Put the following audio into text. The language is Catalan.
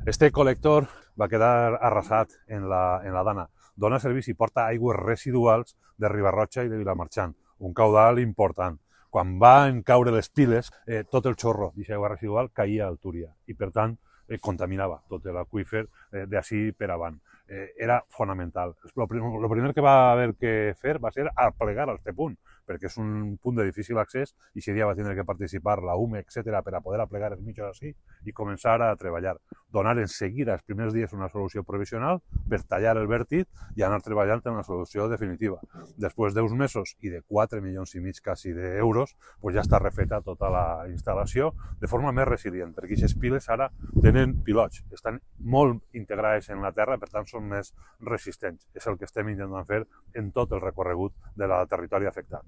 Este col·lector va quedar arrasat en la Dana. Dona servici i porta aigües residuals de Ribarrotxa i de Vilamarxant, un caudal important. Quan van caure les piles, tot el xorro d'aquesta aigua residual caïa al Túria i, per tant, contaminava tot l'aqüífer d'ací per avant. Era fonamental. El primer que va haver que fer va ser aplegar a aquest punt, perquè és un punt de difícil accés i aquest dia va tenir que participar la UME, etc., per a poder aplegar els mitjos així i començar a treballar. Donar en seguida, els primers dies, una solució provisional per tallar el vèrtit i anar treballant en la solució definitiva. Després d'uns mesos i de 4 milions i mig quasi d'euros, ja està refeta tota la instal·lació de forma més resilient, perquè aquestes piles ara tenen pilots, estan molt integrades en la terra, per tant són més resistents. És el que estem intentant fer en tot el recorregut del territori afectat.